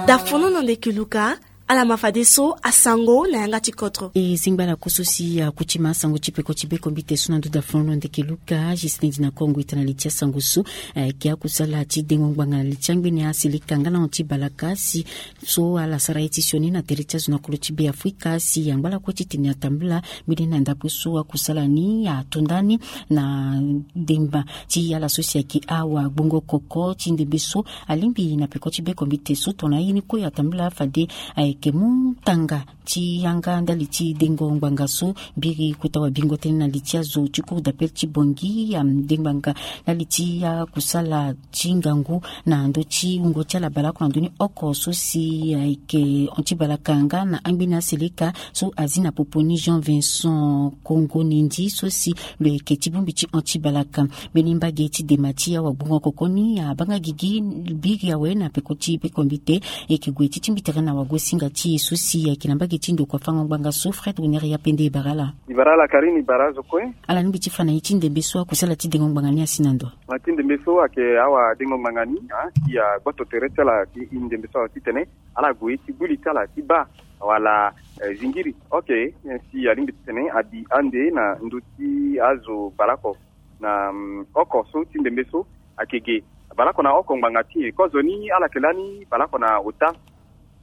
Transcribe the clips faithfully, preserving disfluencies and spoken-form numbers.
Dafono na ndeke luka. Ala ma fadeso asango na yanga ti kodro. E zingba ala koso si akuti ma asango ti peko ti bekombite so na ndo dafono na ndeke luka. Justin dina kongo ita na li ti asango so, eh, ke akusala ti dengo ngbanga na li ti angbene aseleka nga na hon ti balaka si so ala sara ye ti sioni na tere ti azo na kolo ti be afrika si angba ala kue titene atambula mbeni na ndapue so akusala ni atonda ni na demba ti ala so si ayeke awagbongo koko ti ndembe so alingbi na peko ti bekombite so tongana aye ni kue atambula fade ayeke mu tanga ti yanga ndali ti dengo ngbanga so. Mbiri kota wabingo tënë na li ti azo ti cour d'appel ti bongi amde ngbanga ndali ti akusala ti ngangu na ndö ti wungo ti ala baleoko na ndö ni oko so si ayeke hon ti balaka nga na angbeni aseleka so azi na popo ni jean vincent kongo nindi so si lo yeke ti bongbi ti hon ti balaka. Mbeni mbage ti dema ti awagbongo koko ni abanga gigi biri awe na peko ti bekombite. Yeke gue ti tingbi tere na wagosinga ti e so si ayeke na mbage ti ndokua fango ngbanga so fred wener ya pende e bara ala. E bara ala karine e bara azo kue. Ala lingbi ti fa na ye ti ndembe so akusala ti dengo ngbanga ni asi na ndo. Na ti ndembe so ayeke awadengo ngbanga ni si agboto tere ti ala ti ndembe so awe titene ala gue ti gbu li ti ala ti baa wala zingiri oke si alingbi titene abi ande na ndö ti azo baleoko na oko so ti ndembe so ayeke ge baleoko na oko ngbanga ti e kozoni ala yeke lani baleoko na ota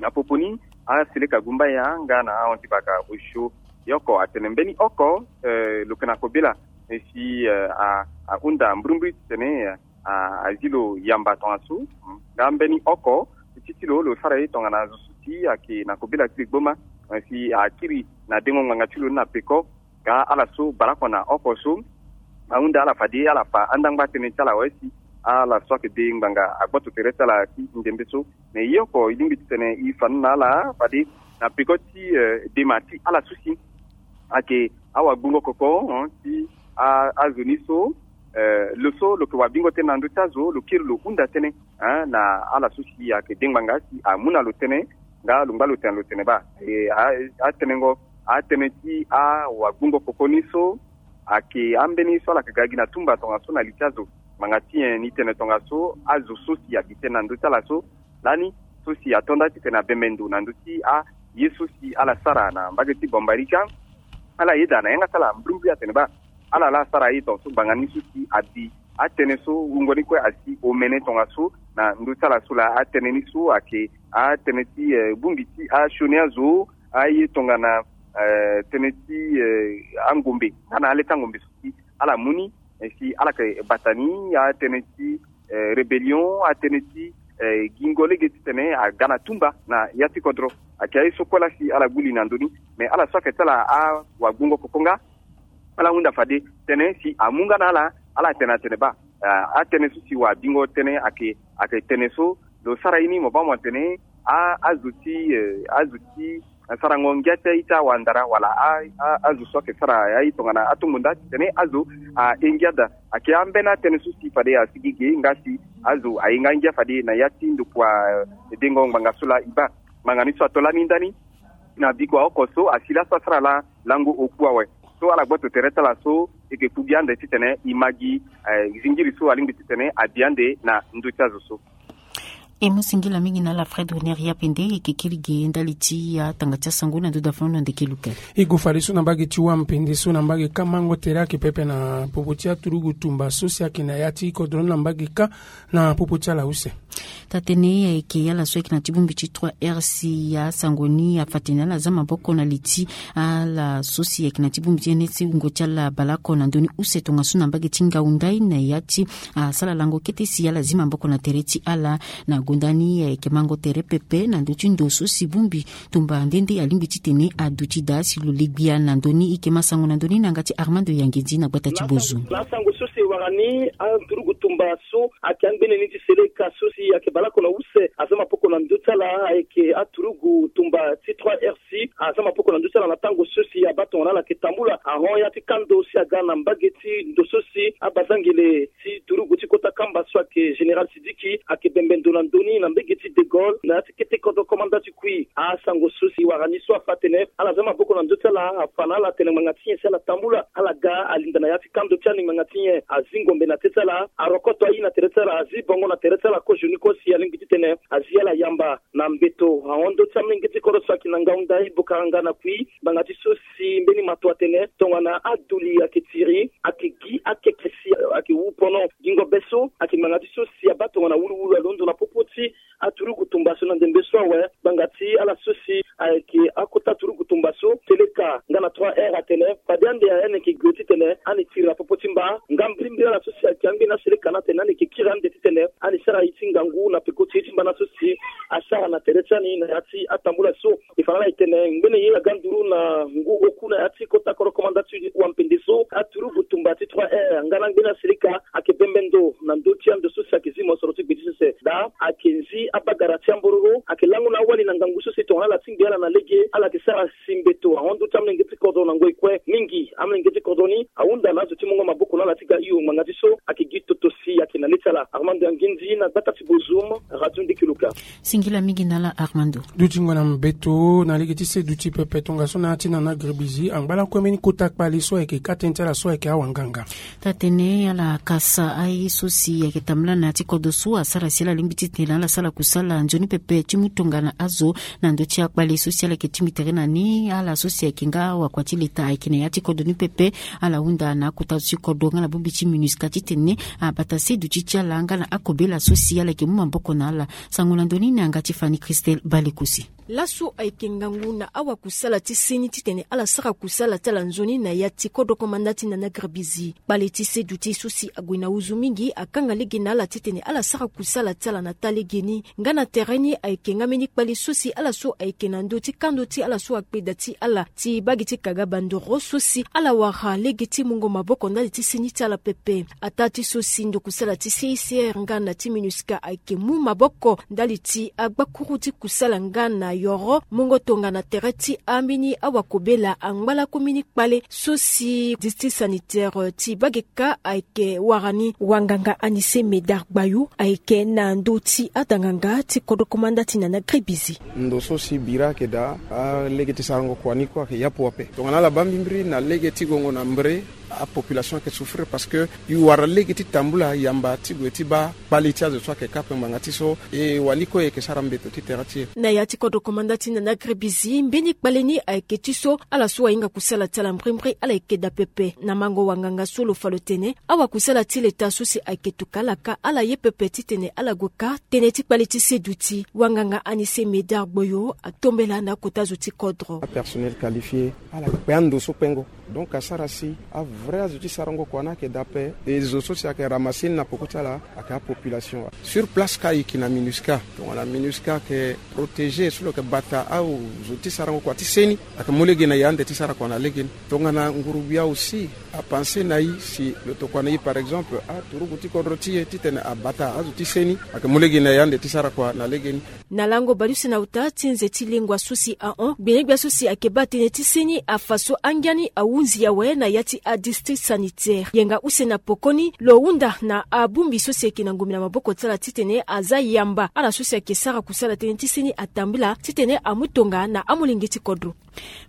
na popo ni aseleka gumbaya nga na ahon ti baka osio. Ye oko atene mbeni oko lo yeke na kobela si ahunda mbrimbri titene azi lo yamba tongaso nga mbeni oko ti ti lo lo sara ye tongana zo so ti ayeke na kobela ti li gboma si akiri na dengo ngbanga ti lo ni na peko. Nga ala so baleoko na oko so ahunda ala fade ala fa andangba tënë ti ala awe si ala so ayeke de ngbanga agboto tere ti ala ti ndembe so. Me ye oko e lingbi titene e fa ni na ala fade na peko ti dema ti ala so si ayeke awagbongo koko ti azo ni so lo so lo yeke wabingo tënë na ndö ti azo lo kiri lo hunda tënë na ala so si ayeke de ngbanga si amu na lo tënë nga lo ngba lo tene lo tene baa atenengo atënë ti awagbongo koko ni so ayeke ambeni so ala yeke ga gi na tumba tongaso na li ti azo ngbanga ti nyen ni tene tongaso azo so si abi tënë na ndö ti ala so lani so si ato nda titene abembe ndo na ndö ti aye so si ala sara na mbage ti bambarika. Ala yeda na yanga ti ala mbrimbri atene baa ala laa asara aye tongaso ngbanga ni so si abi atënë so wungo ni kue asi omene tongaso na ndö ti ala so laa atënë ni so ayeke atënë ti bongbi ti asioni azo aye tongana tënë ti angombe nga na ale ti angombe so si ala mu ni si ala yeke bata ni atënë ti rébellion atënë ti gingo lege titene aga na tumba na ya ti kodro. Ayeke aye so kue laa si ala gbu li na ndö ni. Me ala so ayeke ti ala awagbongo koko nga ala hunda fade tënë si amu nga na ala ala tene atene baa atënë so si wabingo tënë ayeke ayeke tene so lo sara ye ni mo baa mo tene azo ti azo ti sarango ngia ti aye ti awandara wala azo so ayeke sara aye tongana atongo nda titene azo aye ngia daa. Ayeke ambeni atënë so si fade asigi ge nga si azo aye nga ngia fade na ya ti ndokua dengo ngbanga so laa e baa ngbanga ni so ato lani ndani na bikua oko so asi laso asara laa lango oku awe. So ala gboto tere ti ala so e yeke ku gi ande titene e ma gi zingiri so alingbi titene abi ande na ndö ti azo so. E mu singila mingi na ala fred wener ya pende e yeke kiri ge ndali ti atanga ti asango na ndo dafono na ndeke luka. E go fadeso na mbage ti wam pende so na mbage kâ mango tere ayeke pepe na popo ti aturugu tumba so si ayeke na ya ti kodro ni na mbage kâ na popo ti ala use. Taa tënë ayeke ala so ayeke na ti bongbi ti trois r si asango ni afa tene ala za maboko na li ti ala so si ayeke na ti bongbi ti ene ti wungo ti ala baleoko na ndö ni use tongaso na mbage ti ngau ndai na ya ti asara lango kete si ala zi maboko na tere ti ala. Na gonda ni ayeke mango tere pepe na ndö ti ndo so si bongbi tumba nde nde alingbi titene aduti daa si lo le gbia na ndö ni. E yeke ma sango na ndö ni na yanga ti armando yangedi na gbata ti bozo. Na asango so si e wara ni aturugu tumba so ayeke angbene ni ti seleka so si ayeke baleoko na use aza mapoko na ndö ti ala ayeke aturugu tumba ti trois r si aza mapoko na ndö ti ala na tango so si abaa tongana ala yeke tambula ahon ya ti kando si aga na mbage ti ndo so si abazangele ti turugu ti kota kamba so ayeke général Sidiki ayeke bembe ndo na ndö ni na mbege ti De Gaulle na ya ti kete kodro komanda ti kui. Asango so si wara ni so afa atene ala za maboko na ndö ti ala, afa na ala atene ngbanga ti nyen si ala tambula, ala ga alinda na ya ti kando ti ani ngbanga ti nyen, azi ngombe na te ti ala, arokoto ayi na tere ti ala, azi bongo na tere ti ala kozoni kue si alingbi titene azi ala yamba na mbeto. Ahon ndö ti amolenge ti kodro so ayeke na ngaunda e Bokaranga na kui ngbanga ti so si mbeni mato atene tongana aduli ayeke tiri, ayeke gi akeke si ayeke wu pono. Gingo be so ayeke ngbanga ti so si abaa tongana wuluwulu alondo na popo ti aturugu tumba so na ndembe so awe. Ngbanga ti ala so si ayeke akota turugu tumba so, Seleka nga na trois R atene fade ande ani yeke gue titene ani tiri na popo ti mba. Nga mbrimbri ala so si ayeke angbeni aseleka ni atene ani yeke kiri ande titene ani sara ye ti ngangu na peko ti ye ti mba na so si asara na tere ti ani na ya ti atambula so. E fa na ala e tene ngbene ye aga nduru na ngu oku na ya ti kota kodro komanda ti wampende so, aturugu tumba ti trois R nga na angbeni aseleka ayeke bembe ndo na ndö ti ando so si ayeke zi mosoro ti gbe ti sese. Daa ayeke nzi abagara ti ambororo, ayeke lango na awali na ngangu so si tongana ala tingbi ala na lege ala yeke sara si mbeto. Ahon ndö ti amolenge ti kodro na ngoi kue mingi, amolenge ti kodro ni ahunda na azo ti mungo maboko na ala ti ga hio ngbanga ti so ayeke gi toto si ayeke na le ti ala. Armando Anginzi na gbata ti Bozoum, Radio Ndeke Luka. Singila mingi na ala Armando. Dutingo na mbeto na lege ti se duti pepe tongaso na ya ti nana gribizi angba lakue mbeni kota kpale so ayeke ka tënë ti ala so ayeke awanganga. Taa-tënë ala kasa aye so si ayeke tambula na ya ti kodro so asara si ala lingbi titene ala sara kusala nzoni pepe ti mu tongana azo na ndö ti akpale so si ala yeke tingbi tere na ni. Ala so si ayeke nga wakua ti leta ayeke na ya ti kodro ni pepe. Ala hunda na akota zo ti kodro nga na bongbi ti MINUSCA titene abata se duti ti ala nga na akobela so si ala yeke mu maboko na ala. Sango na ndö ni na yanga ti Fanny Christelle Balekosi. Laso ayeke ngangu na awakusala ti seni titene ala sara kusala ti ala nzoni na ya ti kodro komanda ti nana gribizi. Kpale ti se duti so si ague na huzu mingi akanga lege na ala titene ala sara kusala ti ala na taa lege ni. Nga na tere ni ayeke nga mbeni kpale so si ala so ayeke na ndö ti kando ti ala so akpeda ti ala ti bage ti kaga bandoro so si ala wara lege ti mungo maboko ndali ti seni ti ala pepe. Ataa ti so si ndokusala ti C I C R nga na ti MINUSCA ayeke mu maboko ndali ti agbakuru ti kusala nga na yoro mungo tongana tere ti ambeni awakobela angba lakue mbeni kpale so si district sanitaire ti Bageka ayeke wara ni. Wanganga Anise Medard Gbayou ayeke na ndö ti adanganga ti kodro komanda ti nana gribizi. Ndo so si bira ayeke daa alege ti sarango kua ni kue ayeke yapu ape tongana ala baa mbimbiri na lege ti gongo na mbre. Apopulation ayeke souffrir parce que e wara lege ti tambula yamba ti gue ti baa kpale ti azo so ayeke ka ape ngbanga ti so e wali kue e yeke sara mbeto ti tere ti e. Na ya ti kodro komanda ti nana gribizi mbeni kpale ni ayeke ti so ala so ahinga kusala ti ala mbrimbri ala yeke daa pepe. Na mango wanganga so lo fa lo tene awakusala ti leta so si ayeke tuka ala ka ala ye pepe titene ala gue ka tënë ti kpale ti se duti. Wanganga Anise Medard Gboyo atombela na akota zo ti kodro. Apersonnel qualifié ala kpe ando so kpengo. Donc asara si avrai azo ti sarango kua ni ayeke daa ape. E zo so si ayeke ramasse ni na peko ti ala ayeke apopulation. Sur place ka e yeke na MINUSCA tongana MINUSCA ayeke protéger so lo yeke bata azo ti sarango kua ti seni. Ayeke mu lege na e ande ti sara kua na lege ni. Tongana ngurugbia aussi apense na e si lo tokua na e par exemple aturugu ti kodro ti e titene abata azo ti seni. Ayeke mu lege na e ande ti sara kua na lege ni. Na lango baleuse na ota ti nze ti lengua so si ahon gbenyogbia so si ayeke baa tënë ti seni afa so angia ni ahunzi awe na ya ti adistrict sanitaire. Yenga use na pokoni lo hunda na abongbi so si ayeke na ngombe na maboko ti ala titene aza yamba ala so si ayeke sara kusala tënë ti seni atambula titene amu tonga na amolenge ti kodro.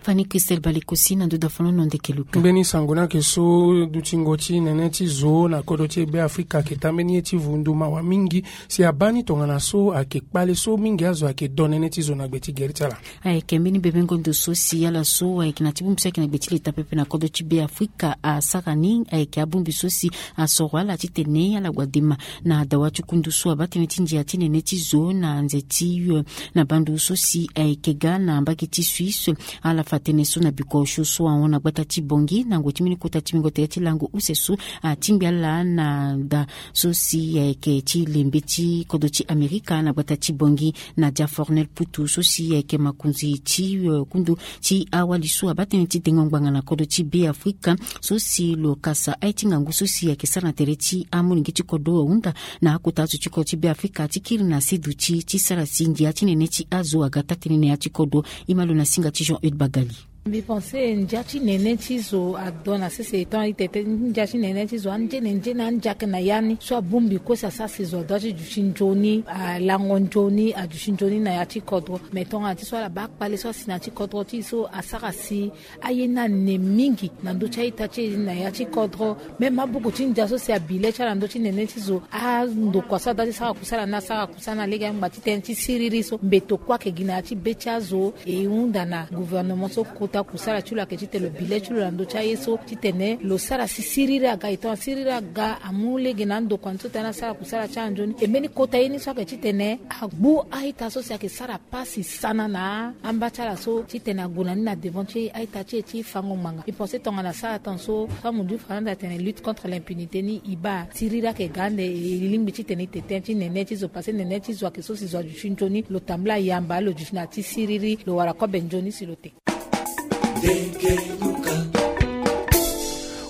Fanny Christelle Balekosi na ndo da folono ndeke luka. Mbeni sango ni ayeke so dutingo ti nene ti zo na kodro ti Be Afrika ayeke tambeni ye ti vundu mawa mingi. Si abaa ni tongana so ayeke kpale so mingi azo ayeke do nene ti zo na gbe ti gere ti ala. Ayeke mbeni bebengo ndo so si ala so ayeke na ti bongbi so ayeke na gbe ti leta pepe na kodro ti Be Afrika asara ni ayeke abongbi so si asoro ala titene ala gue dema na dawa ti kundu so abaa tënë ti ndia ti nene ti zo na nze ti, eh, na bandu so si ayeke ga na mbage ti Suisse. Ala fa tënë so na biko osio so ahon na gbata ti Bangui na ngoi ti mbeni kota ti mingo tere ti lango use so atingbi ala na da so si ayeke ti lembe ti kodro ti Amerika na gbata ti Bangui. Nadia Fornel Putu so si ayeke makonzi ti, eh, kundu ti awali so abaa tënë ti dengo ngbanga na kodro ti Be Afrika so si lo kasa aye ti ngangu so si ayeke sara na tere ti amolenge ti kodro ahunda na akota azo ti kodro ti Be Afrika ti kiri na se duti ti sara si ndia ti nene ti azo aga taa-tënë na ya ti kodro. E ma lo na singa ti Jean Eude Bagali. Mbi pense ndia ti nene ti zo ado na sese etant itete ndia ti nene ti zo anjene njene andiake na ya ni so abongbi kue si asara si zo ado ti duti nzoni alango nzoni aduti nzoni na ya ti kodro. Me tongana ti so ala baa kpale so asi na ya ti kodro ti e so asara si aye ni ane mingi na ndö ti a-ita ti e na ya ti kodro. Même abuku ti ndia so si abi le ti ala na ndö ti nene ti zo andokua so ada ti sara kusala ni asara kusala na lege angba ti tënë ti siriri so mbeto kue ayeke gi na ya ti be ti azo. E hunda na gouvernement so kota kusala ti lo ayeke titene lo bi le ti lo na ndö ti aye so titene lo sara si siriri aga e tongana siriri aga amu lege na andokua ni so tënë asara kusala ti ala nzoni e mbeni kota ye ni so ayeke titene agbu a-ita so si ayeke sara pasi sana na amba ti ala so titene ague na ni na devant ti a-ita ti e ti fango ngbanga. Mbi pense tongana asara tongaso so amudu fernande atene lutte contre l'impunité ni e baa siriri ayeke ga ande e lingbi titene e te tënë ti nene ti zo parce que nene ti zo ayeke so si zo aduti nzoni lo tambula yamba lo duti na ya ti siriri lo wara kobe nzoni si lo te.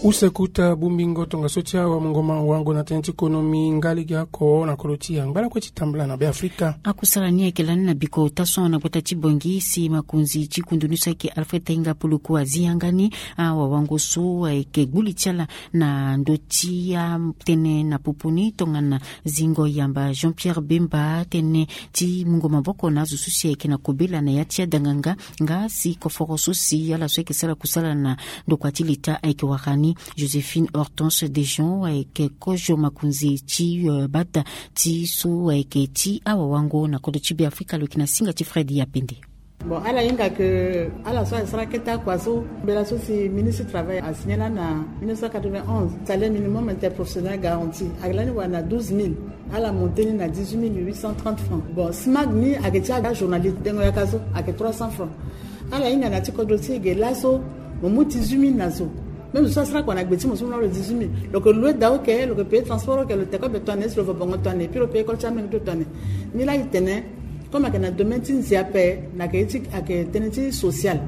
Use kota bongbingo tongaso ti awamungo mawango na tënë ti konomi nga lege oko na kodro ti e angba lakue ti tambula na beafrika. Akusala ni ayeke lani na biko ota so na gbata ti bongi si makonzi ti kundu ni so ayeke alfred tainga puluku azi yanga ni. Awawango so ayeke gbu li ti ala na ndö ti atënë na popo ni tongana zingo yamba jean pierre bemba tënë ti mungo maboko na azo so si ayeke na kobela na ya ti adanganga nga si koforo so si ala so ayeke sara kusala na ndokua ti leta ayeke wara ni. Joséphine hortense dejean ayeke kozo makonzi ti bata ti so ayeke ti awawango na kodro ti beafrika lo yeke na singa ti fred yapende. Bon ala hinga ke ala so asara kete akua so mbela so si ministre travail asigne lani na mille neuf cent quatre-vingt-onze salaire minimum interprofessionnel garanti ayeke lani wara na douze mille. Ala monte ni na dix-huit mille huit cent trente francs. Bon smag ni ayeke ti ajournaliste dengo yaka so ayeke trois cents francs. Ala hinga na ti kodro ti e ge laso mo mu dix-huit mille na zo. Même zo so asara kua na gbe ti mo so mo na lo dix-huit mille lo yeke loue daa oke lo yeke paye transport oke lo teke obe toane si lo va bongo toane epui lo paye école ti amenge ti lo toane. Ni laa e tene comme ayeke na domaine ti nze ape na yeke ye ti ayeke tënë ti social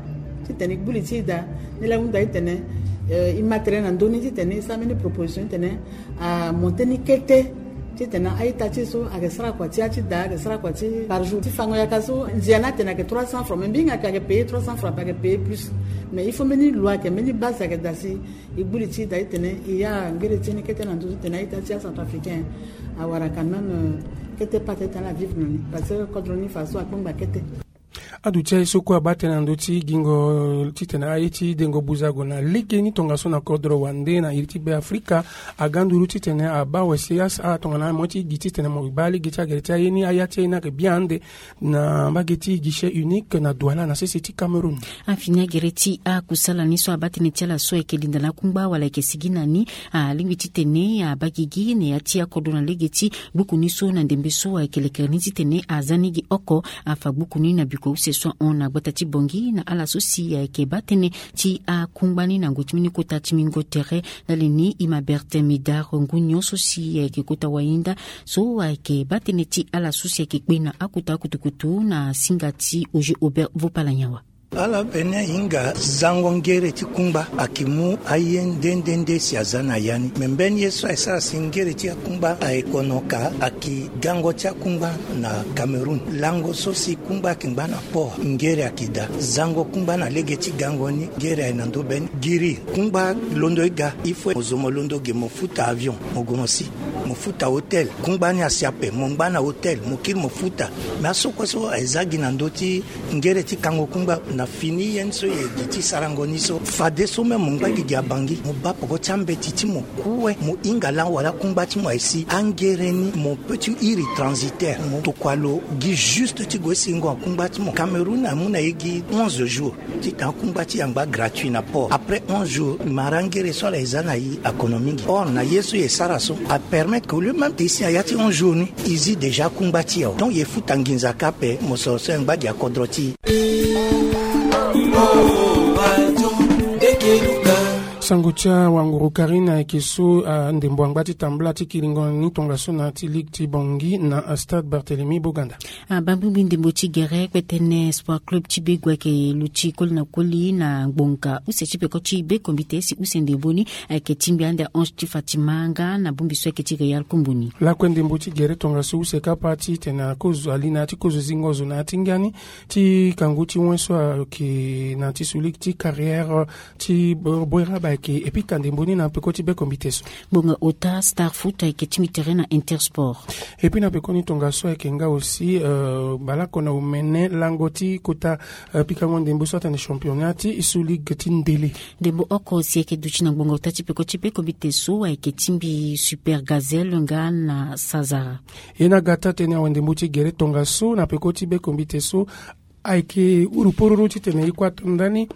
titene e gbu li ti e daa. Ni laa e hunda titene e ma tere na ndö ni titene e sara mbeni proposition titene amonte ni kete titene a-ita ti e so ayeke sara kua ti ya ti daa ayeke sara kua ti par jour ti fango yaka so nzia ni atene ayeke trois cents francs mais mbi hinga ayeke ayeke paye trois cents francs ape ayeke paye plus. Mais il faut mbeni loi ayeke mbeni base ayeke daa si e gbu li ti e daa titene e ya ngere ti e ni kete na ndö titene a-ita ti acentrafricain awara quand même kete pate ti ala avivre na ni parce que kodro ni faso akpengba kete. Aduti aye so kue abaa tënë na ndö ti gingo titene aye ti dengo buzago na lege ni tongaso na kodro wande na iri ti beafrika aga nduru titene abaa wese ya si ala tongana mo ti gi titene mo baa lege ti agere ti aye ni aya ti aye ni ayeke bien ande na mbage ti guichet unique na douala na sese ti cameroun. Afini agere ti akusala ni so abaa tënë ti ala so ayeke linda na akungba wala ayeke sigi na ni alingbi titene abaa gigi na ya ti akodro na lege ti gbuku ni so na ndembe so ayeke lekere ni titene aza ni gi oko. Afa gbuku ni na biko use so ahon na gbata ti bongi na ala so si ayeke baa tënë ti akungba ni na ngoi ti mbeni kota ti mingo tere. Ndali ni e ma bertin midar ngu nyon so si ayeke kota wahinda so ayeke baa tënë ti ala so si ayeke kpe na akota akutukutu na singa ti oge aubert vopala nyawa. Ala pene ahinga zango ngere ti kungba ayeke mu aye nde nde nde si aza na ya ni me mbeni ye so ayeke sara si ngere ti akungba ayeke kono ka ayeke gango ti akungba na cameroun lango so si kungba ayeke ngba na port ngere ayeke daa zango kungba na lege ti gango ni ngere ayeke na ndö be ni giri kungba londo e ga il faut mo zo mo londo ge mo futa avion mo gue mo si mo futa hotel kungba ni asi ape mo ngba na hotel mo kiri mo futa. Me aso kue so aye za gi na ndö ti ngere ti kango kungba na fini ye ni so ye gi ti sarango ni so fadeso même mo ngba gigi abangi mo baa poko ti ambeti ti mo kue mo hinga laa wala akungba ti mo aye si angere ni mo pe ti iri transitaire mo tokua lo gi juste ti gue singo akungba ti mo cameroun amu na ye gi onze jours. Titene akungba ti e angba gratuit na port après onze jours mara ngere so ala ye za na e akono mingi or na ye so ye sara so apermettre ke au lieu même te e si na ya ti onze jours ni e zi déjà akungba ti e awe donc ye futa nginza ka ape mosoro so ye ngba gi akodro ti e. Sango ti awanguru Karine ayeke so, ah, ndembo angba ti tambula ti kiringo ni tongaso na ya ti ligue ti Bangui na, ah, stade Barthélemy Boganda. Ah, bambingbi ndembo ti gere kpetene Sport Club ti Begu ayeke luti koli na koli na ngbonga use ti peko ti Bekombite si use ndembo ni ayeke tingbi ande ahonge ti Fatima nga na bongbi so ayeke ti Real Komboni. Lakue ndembo ti gere tongaso use kapa titene akozo ali na ya ti kozo zingo zo na ya ti ngia ni ti kangu ti wen so ayeke na ya ti sous-ligue ti carrière ti Boera ba ayeke epika ndembo ni na peko ti Bekombite so. Ngbonga ota Star Foot ayeke tingbi tere na Intersport. Et puis na pekoni tongaso ayeke nga aussi, euh, baleoko na omene lango ti kota, euh, pikango ndembo so atene championnat ti sous-ligue ti ndele. Ndembo oko si ayeke duti na ngbonga ota ti peko ti Bekombite so ayeke tingbi Super Gazelle nga na Sazara. E na ga taa tënë awe ndembo ti gere tongaso na peko ti Bekombite so ayeke uru pororo titene e kue ato ndani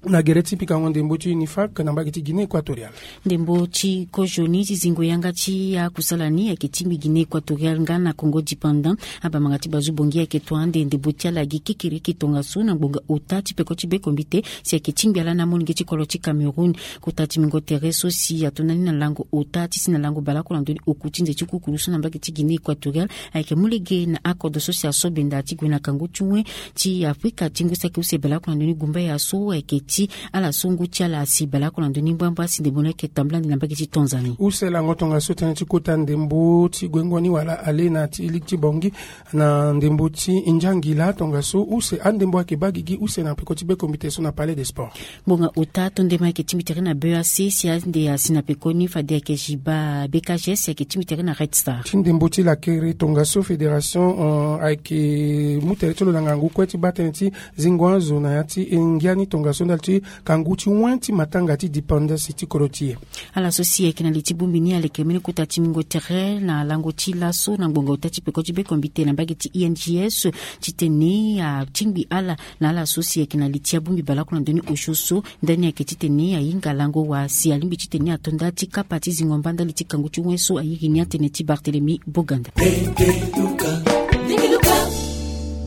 na gere ti pikango ndembo ti Unifac na mbage ti Guinée Équatoriale. Ndembo ti kozo ni ti zingo yanga ti akusala ni ayeke tingbi Guinée Équatoriale nga na Congo Dépendant. Abamanga ti Bazu Bongi ayeke to ande ndembo ti ala gi kikiriki tongaso na ngbonga ota ti peko ti Bekombite si ayeke tingbi ala na amolenge ti kolo ti Cameroun. Kota ti mingo tere so si ato ndani na lango ota ti si na lango baleoko na ndö ni oku ti nze ti kukuru so na mbage ti Guinée Équatoriale ayeke mu lege na akodro so si aso benda ti gue na kangu ti wen ti Afrika ti ngu saki use baleoko na ndö ni gumbaya so ayeke ti ala so ngu ti ala asi baleoko na ndö ni mbrambra si ndembo ni ayeke tambula ande na mbage ti Tanzanie. Use lango tongaso tënë ti kota ndembo ti guengo ni wala ale na ti ligue ti Bangui na ndembo ti nzangila tongaso use andembo ayeke baa gigi use na peko ti Bekombite so na Palais des Sports. Ngbonga ota to ndema ayeke tingbi tere na B A C si ande asi na pekoni fade ayeke Jiba B K G S ayeke tingbi tere na Red Star. Ti ndembo ti lakere tongaso fédération, euh, ayeke mu tere ti lo na ngangu kue ti baa tënë ti zingo azo na ya ti ngia ni tongaso ndali ti kangu ti wen ti matanga ti dépendance ti kodro ti e. Ala so si ayeke na li ti bongbi ni aleke mbeni kota ti mingo tere na lango ti laso na ngbonga ota ti peko ti Bekombite na mbage ti I N G S titene atingbi ala na ala so si ayeke na li ti abongbi baleoko na ndö ni osio so ndani ayeke titene ahinga lango wa si alingbi titene ato nda ti kapa ti zingo mba ndali ti kangu ti wen so airi ni atene ti Barthélemy Boganda.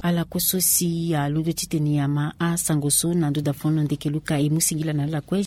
Ala kue so si alondo titene ama asango so na ndo dafono ndeke luka e mu singila na ala kue.